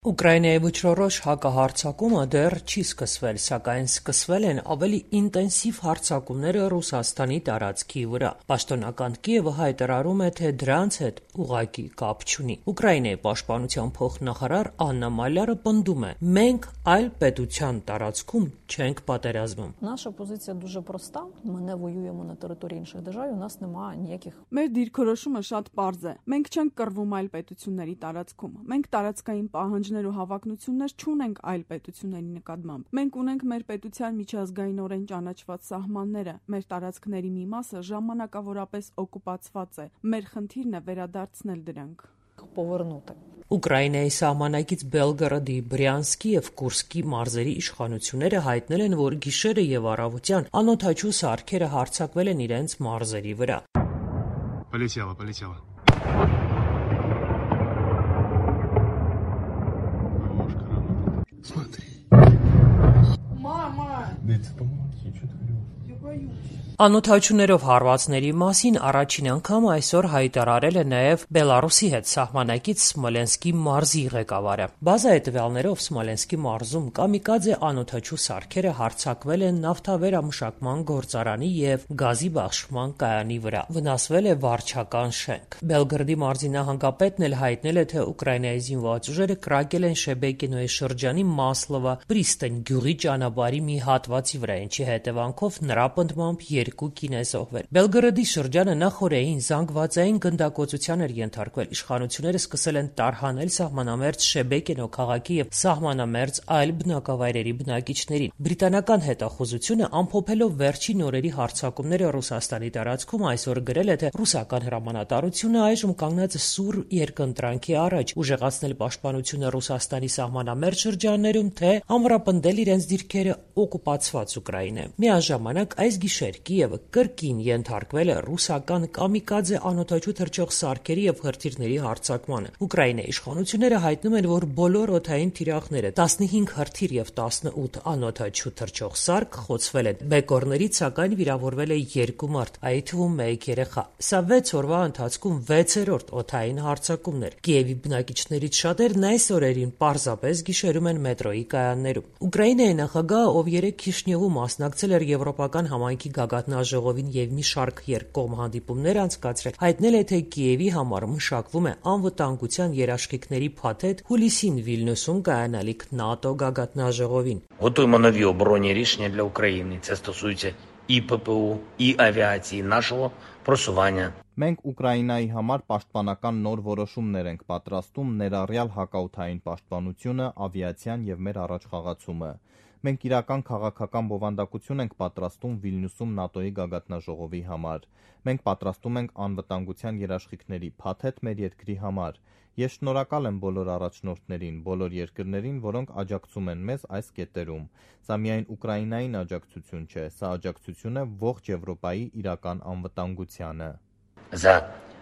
Ուկրաինայի վճռորոշ հակահարձակումը դեռ չի սկսվել, սակայն սկսվել են ավելի ինտենսիվ հարձակումները Ռուսաստանի տարածքի վրա։ Պաշտոնական Կիևը հայտարարում է, թե դրանց հետ ուղղակի կապ չունի։ Ուկրաինայի պաշտպանության փոխնախարար Աննա Մալյարը պնդում է. «Մենք այլ պետության տարածքում չենք պատերազմում»։ Наша позиція дуже проста. Ми не воюємо на території інших держав, і у нас немає ніяких. Մեր դիրքորոշումը շատ պարզ է։ Մենք չենք կռվում այլ պետությունների տարածքում։ Մենք տարածքային պահանջներ ու հավակնություններ չունենք այլ պետությունների նկատմամբ։ Մենք ունենք մեր պետության միջազգայինորեն ճանաչված սահմանները։ Մեր տարածքների մի մասը ժամանակավորապես օկուպացված է։ Մեր խնդիրն է վերադարձնել դրանք։ Повернути. Ուկրաինայի սահմանակից Բելգորոդի, Բրյանսկի եւ Կուրսկի մարզերի իշխանությունները հայտնել են, որ գիշերը եւ առավոտյան անօդաչու սարքերը հարձակվել են իրենց մարզերի վրա։ Полетела. Смотри. Мама, Да это помоги, что ты делаешь? я боюсь. Անօդաչուներով հարվածների մասին առաջին անգամ այսօր հայտարարել է նաև Բելարուսի հետ սահմանակից Սմոլենսկի մարզի ղեկավարը։ Բազայի տվյալներով Սմոլենսկի մարզում կամիկաձե անօդաչու սարքերը հարձակվել են նավթավերամշակման գործարանի եւ գազի բաշխման կայանի վրա։ Վնասվել է վարչական շենք։ Բելգրադի մարզի նահանգապետն էլ հայտնել է, թե Ուկրաինայի զինված ուժերը կրակել են Շեբեկինոյի շրջանի Մասլովա Պրիստեն գյուղի ճանապարհի մի հատվածի վրա, ինչի հետևանքով նրա պնդմամբ երկու կին է զոհվել։ Բելգորոդի շրջանը նախորդին զանգվածային գնդակոծության էր ենթարկվել։ Իշխանությունները սկսել են տարհանել սահմանամերձ Շեբեկինո քաղաքի եւ սահմանամերձ այլ բնակավայրերի բնակիչներին։ Բրիտանական հետախուզությունը ամփոփելով վերջին օրերի հարձակումները Ռուսաստանի տարածքում այսօր գրել է, թե ռուսական հրամանատարությունը այժմ կանգնած է սուր երկընտրանքի առաջ՝ ուժեղացնել պաշտպանությունը Ռուսաստանի սահմանամերձ շրջաններում, թե ամրապնդել իրենց դիրքերը օկուպացված Ուկրաինայում։ Միաժամանակ այս գիշեր Կիևը կրկին ենթարկվել է ռուսական կամիկաձե անօդաչու թռչող սարքերի եւ հրթիռների հարձակմանը։ Ուկրաինայի իշխանությունները հայտնում են, որ բոլոր օդային թիրախները 15 հրթիռ եւ 18 անօդաչու թռչող սարք խոցվել են։ Բեկորներից սակայն վիրավորվել է 2 մարդ, այդ թվում 1 երեխա։ Սա 6 օրվա ընթացքում 6-րդ օդային հարձակումն էր։ Կիևի բնակիչներից շատերն այս օրերին պարզապես գիշերում են մետրոյի կայաններում։ Ուկրաինայի նախագահը, ով 3 Քիշնևում մասնակցել էր եվրոպական համայնքի գագաթնաժողովին եւ մի շարք երկկողմ հանդիպումներ անցկացրել, հայտնել է, թե Կիևի համար մշակվում է անվտանգության երաշխիքների փաթեթ հուլիսին Վիլնյուսում կայանալիք ՆԱՏՕ գագաթնաժողովին։ Готуємо нові оборонні рішення для України. Це стосується і ППУ, і авіації нашого просування. Մենք Ուկրաինայի համար պաշտպանական նոր որոշումներ ենք պատրաստում, ներառյալ հակաօդային պաշտպանությունը, ավիացիան եւ մեր առաջխաղացումը։ Մենք իրական քաղաքական բովանդակություն ենք պատրաստում Վիլնյուսում ՆԱՏՕ-ի գագաթնաժողովի համար։ Մենք պատրաստում ենք անվտանգության երաշխիքների փաթեթ մեր երկրի համար։ Ես շնորհակալ եմ բոլոր առաջնորդներին, բոլոր երկրներին, որոնք աջակցում են մեզ այս կետերում։ Սա միայն Ուկրաինային աջակցություն չէ, սա աջակցություն է ողջ Եվրոպայի իրական անվտանգությանը։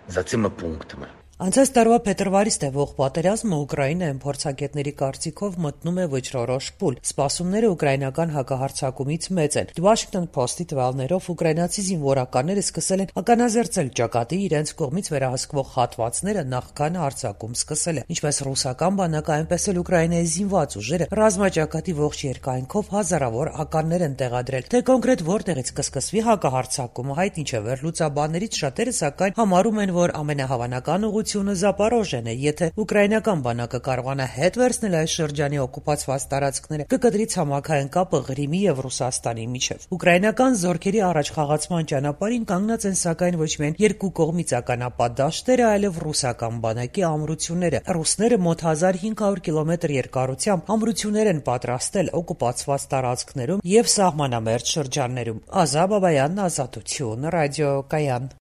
За цими пунктами. Անցած տարվա փետրվարից տևող պատերազմը Ուկրաինայում փորձագետների կարծիքով մտնում է վճռորոշ փուլ։ Սպասումները ուկրաինական հակահարձակումից մեծ են։ Washington Post-ի տվյալներով ուկրաինացի զինվորականները սկսել են ականազերծել ճակատի իրենց կողմից վերահսկվող հատվածները նախքան հարձակում սկսելը, ինչպես ռուսական բանակը, այնպես էլ Ուկրաինայի զինված ուժերը ռազմաճակատի ողջ երկայնքով հազարավոր ականներ են տեղադրել։ Թե կոնկրետ որտեղից կսկսվի հակահարձակումը հայտնի չէ։ Վերլուծաբաններից շատերը սակայն համարում են, որ ամենահավանական Զապարոժեն է, եթե ուկրաինական բանակը կարողանա հետ վերցնել այս շրջանի օկուպացված տարածքները, կկտրի ցամաքային կապը Ղրիմի եւ Ռուսաստանի միջև։ Ուկրաինական զորքերի առաջխաղացման ճանապարհին կանգնած են սակայն ոչ միայն երկու կողմից ականապատ դաշտերը, այլև ռուսական բանակի ամրությունները։ Ռուսները մոտ 1500 կիլոմետր երկարությամբ ամրություններ են պատրաստել օկուպացված տարածքներում եւ սահմանամերձ շրջաններում։ Ազա Բաբայան, Ազատություն, ռադիոկայան։